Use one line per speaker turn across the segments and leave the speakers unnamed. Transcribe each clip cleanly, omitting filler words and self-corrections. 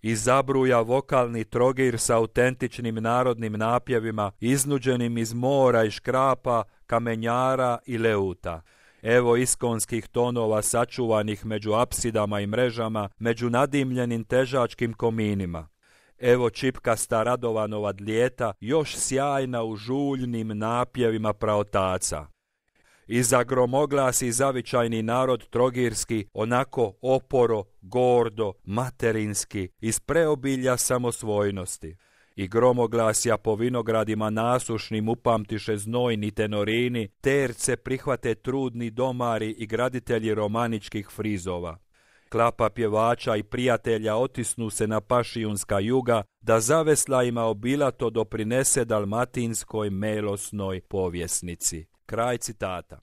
i zabruja vokalni Trogir sa autentičnim narodnim napjevima iznuđenim iz mora i škrapa, kamenjara i leuta. Evo iskonskih tonova sačuvanih među apsidama i mrežama, među nadimljenim težačkim kominima. Evo čipkasta Radovanova dlijeta, još sjajna u žuljnim napjevima praotaca. I za gromoglasi zavičajni narod trogirski, onako oporo, gordo, materinski, iz preobilja samosvojnosti. I gromoglasja po vinogradima nasušnim upamtiše znojni tenorini, terce prihvate trudni domari i graditelji romaničkih frizova. Klapa pjevača i prijatelja otisnu se na pašijunska juga, da zaveslajima obilato doprinese dalmatinskoj melosnoj povjesnici. Kraj citata.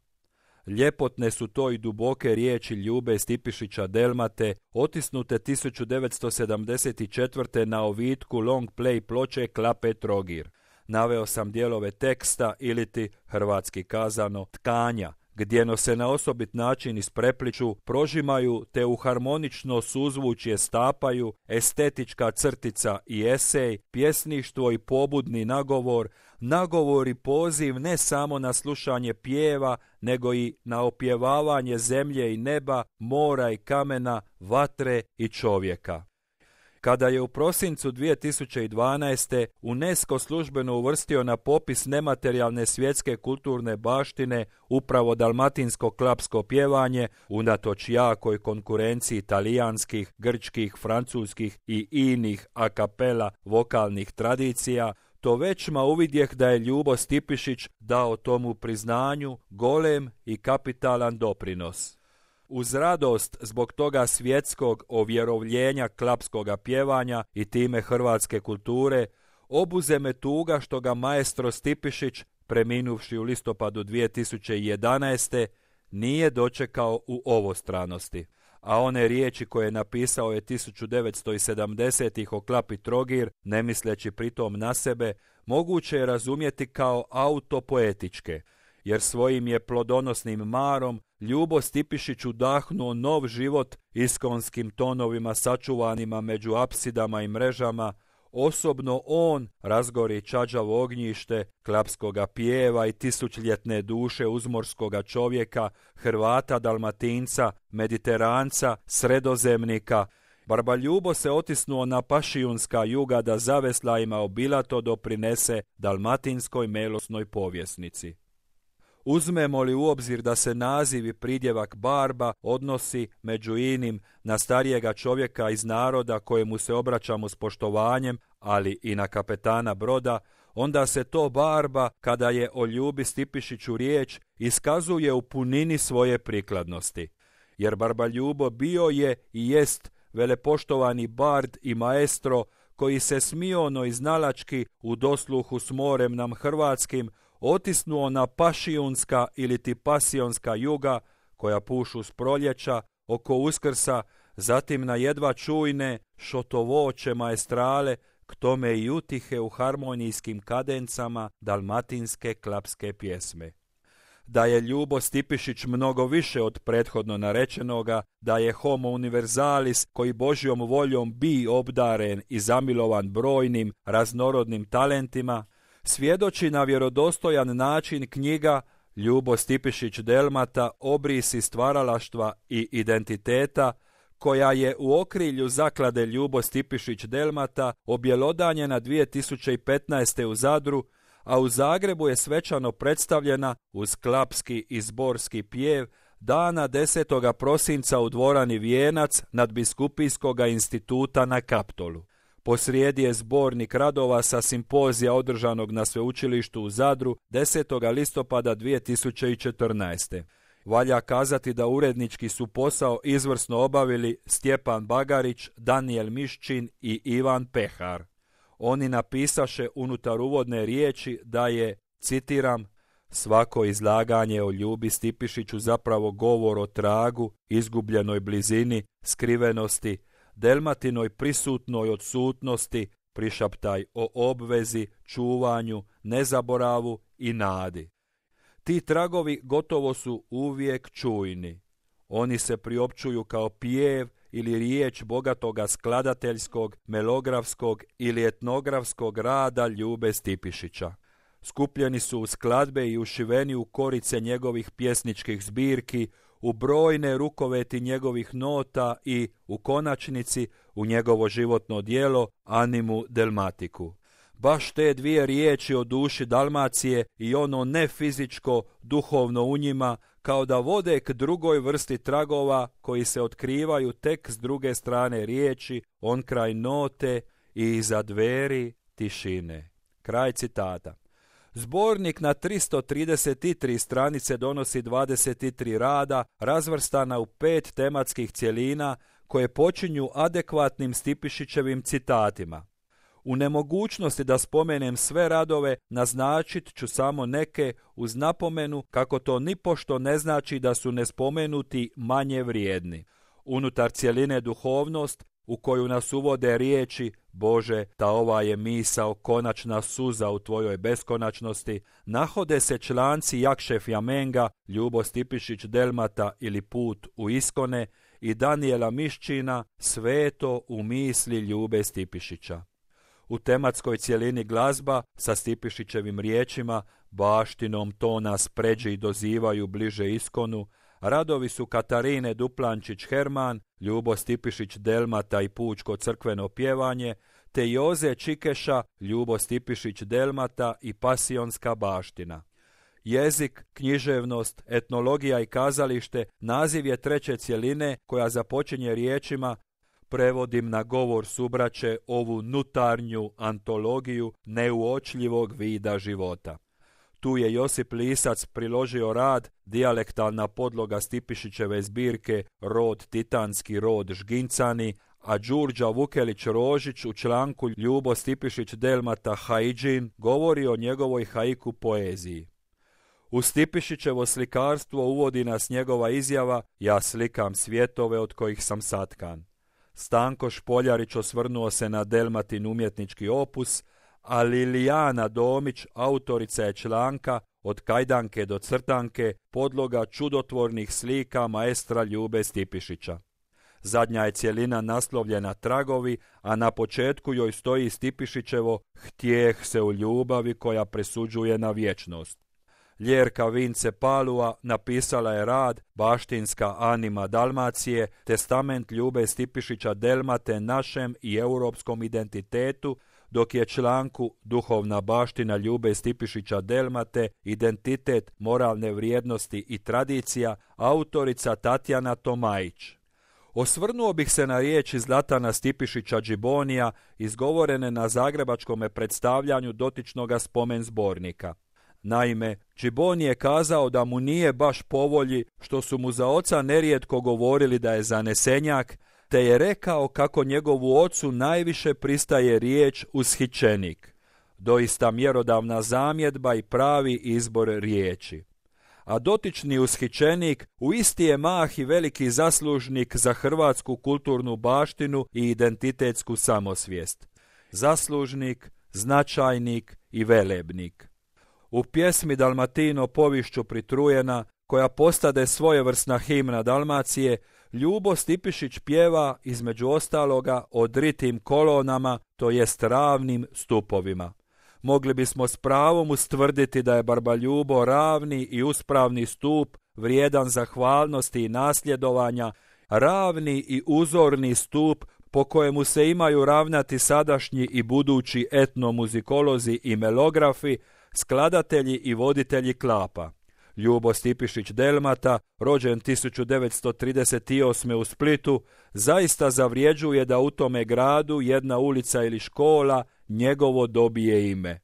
Ljepotne su to i duboke riječi Ljube Stipišića Delmate, otisnute 1974. na ovitku long play ploče Klape Trogir. Naveo sam dijelove teksta iliti, hrvatski kazano, tkanja, gdjeno se na osobit način isprepliču, prožimaju te u harmonično suzvučje stapaju, estetička crtica i esej, pjesništvo i pobudni nagovor, nagovor i poziv ne samo na slušanje pjeva, nego i na opjevavanje zemlje i neba, mora i kamena, vatre i čovjeka. Kada je u prosincu 2012. UNESCO službeno uvrstio na popis nematerijalne svjetske kulturne baštine upravo dalmatinsko klapsko pjevanje, unatoč jakoj konkurenciji talijanskih, grčkih, francuskih i inih a capella vokalnih tradicija, to većma uvidjeh da je Ljubo Stipišić dao tomu priznanju golem i kapitalan doprinos. Uz radost zbog toga svjetskog ovjerovljenja klapskoga pjevanja i time hrvatske kulture, obuze me tuga što ga maestro Stipišić, preminuvši u listopadu 2011. nije dočekao u ovostranosti. A one riječi koje je napisao je 1970-ih o Klapi Trogir, ne misleći pritom na sebe, moguće je razumjeti kao autopoetičke, jer svojim je plodonosnim marom Ljubo Stipišić udahnuo nov život iskonskim tonovima sačuvanima među apsidama i mrežama. Osobno on razgori čađavo ognjište klapskoga pjeva i tisućljetne duše uzmorskoga čovjeka, Hrvata, Dalmatinca, Mediteranca, Sredozemnika. Barba Ljubo se otisnuo na pašijunska juga da zaveslajima obilato doprinese dalmatinskoj melosnoj povjesnici. Uzmemo li u obzir da se naziv i pridjevak barba odnosi među inim na starijega čovjeka iz naroda kojemu se obraćamo s poštovanjem, ali i na kapetana broda, onda se to barba, kada je o Ljubi Stipišiću riječ, iskazuje u punini svoje prikladnosti. Jer barba Ljubo bio je i jest velepoštovani bard i maestro koji se smiono i znalački u dosluhu s morem nam hrvatskim otisnuo na pašijunska ili ti pasionska juga koja pušu s proljeća, oko Uskrsa, zatim na jedva čujne šotovoće maestrale, k tome i utihe u harmonijskim kadencama dalmatinske klapske pjesme. Da je Ljubo Stipišić mnogo više od prethodno narečenoga, da je homo universalis koji Božjom voljom bi obdaren i zamilovan brojnim raznorodnim talentima, svjedoči na vjerodostojan način knjiga Ljubo Stipišić Delmata Obrisi stvaralaštva i identiteta, koja je u okrilju zaklade Ljubo Stipišić Delmata objelodanjena 2015. u Zadru, a u Zagrebu je svečano predstavljena uz klapski i zborski pjev dana 10. prosinca u dvorani Vijenac nadbiskupijskoga instituta na Kaptolu. Posrijedi je zbornik radova sa simpozija održanog na sveučilištu u Zadru 10. listopada 2014. Valja kazati da urednički su posao izvrsno obavili Stjepan Bagarić, Danijel Miščin i Ivan Pehar. Oni napisaše unutar uvodne riječi da je, citiram, svako izlaganje o Ljubi Stipišiću zapravo govor o tragu, izgubljenoj blizini, skrivenosti, Delmatinoj prisutnoj odsutnosti, prišaptaj o obvezi, čuvanju, nezaboravu i nadi. Ti tragovi gotovo su uvijek čujni. Oni se priopćuju kao pjev ili riječ bogatoga skladateljskog, melografskog ili etnografskog rada Ljube Stipišića. Skupljeni su u skladbe i ušiveni u korice njegovih pjesničkih zbirki, u brojne rukoveti njegovih nota i, u konačnici, u njegovo životno djelo Animu Delmatiku. Baš te dvije riječi o duši Dalmacije i ono nefizičko, duhovno u njima, kao da vode k drugoj vrsti tragova koji se otkrivaju tek s druge strane riječi, onkraj note i iza dveri tišine. Kraj citata. Zbornik na 333 stranice donosi 23 rada razvrstana u 5 tematskih cjelina koje počinju adekvatnim Stipišićevim citatima. U nemogućnosti da spomenem sve radove, naznačit ću samo neke uz napomenu kako to nipošto ne znači da su nespomenuti manje vrijedni. Unutar cjeline duhovnost, u koju nas uvode riječi Bože, ta ova je misao konačna suza u tvojoj beskonačnosti, nahode se članci Jakše Fjamenga, Ljubo Stipišić Delmata ili Put u iskone i Danijela Miščina, Sveto u misli Ljube Stipišića. U tematskoj cjelini glazba sa Stipišićevim riječima, baštinom to nas pređi i dozivaju bliže iskonu, radovi su Katarine Duplančić-Herman, Ljubo Stipišić Delmata i Pučko crkveno pjevanje, te Joze Čikeša, Ljubo Stipišić Delmata i Pasionska baština. Jezik, književnost, etnologija i kazalište naziv je treće cjeline koja započinje riječima prevodim na govor subraće ovu nutarnju antologiju neuočljivog vida života. Tu je Josip Lisac priložio rad, dijalektalna podloga Stipišićeve zbirke Rod Titanski, rod Žgincani, a Đurđa Vukelić-Rožić u članku Ljubo Stipišić Delmata Haidžin govori o njegovoj haiku poeziji. U Stipišićevo slikarstvo uvodi nas njegova izjava ja slikam svjetove od kojih sam satkan. Stanko Špoljarić osvrnuo se na Delmatin umjetnički opus, a Lilijana Domić, autorica je članka Od kajdanke do crtanke, podloga čudotvornih slika maestra Ljube Stipišića. Zadnja je cjelina naslovljena Tragovi, a na početku joj stoji Stipišićevo Htjeh se u ljubavi koja presuđuje na vječnost. Ljerka Vince Palua napisala je rad Baštinska anima Dalmacije, testament Ljube Stipišića Delmate našem i europskom identitetu, dok je članku Duhovna baština Ljube Stipišića Delmate, identitet, moralne vrijednosti i tradicija, autorica Tatjana Tomajić. Osvrnuo bih se na riječi Zlatana Stipišića Džibonija, izgovorene na zagrebačkome predstavljanju dotičnoga spomen zbornika. Naime, Džiboni je kazao da mu nije baš po volji što su mu za oca nerijetko govorili da je zanesenjak, te je rekao kako njegovu ocu najviše pristaje riječ ushićenik. Doista mjerodavna zamjedba i pravi izbor riječi. A dotični ushićenik u isti je mah i veliki zaslužnik za hrvatsku kulturnu baštinu i identitetsku samosvijest. Zaslužnik, značajnik i velebnik. U pjesmi Dalmatino povišću pritrujena, koja postade svojevrsna himna Dalmacije, Ljubo Stipišić pjeva između ostaloga o dritim kolonama, to jest ravnim stupovima. Mogli bismo s pravom ustvrditi da je Barbaljubo ravni i uspravni stup, vrijedan zahvalnosti i nasljedovanja, ravni i uzorni stup po kojemu se imaju ravnati sadašnji i budući etnomuzikolozi i melografi, skladatelji i voditelji klapa. Ljubo Stipišić Delmata, rođen 1938. u Splitu, zaista zavrijeđuje da u tome gradu jedna ulica ili škola njegovo dobije ime.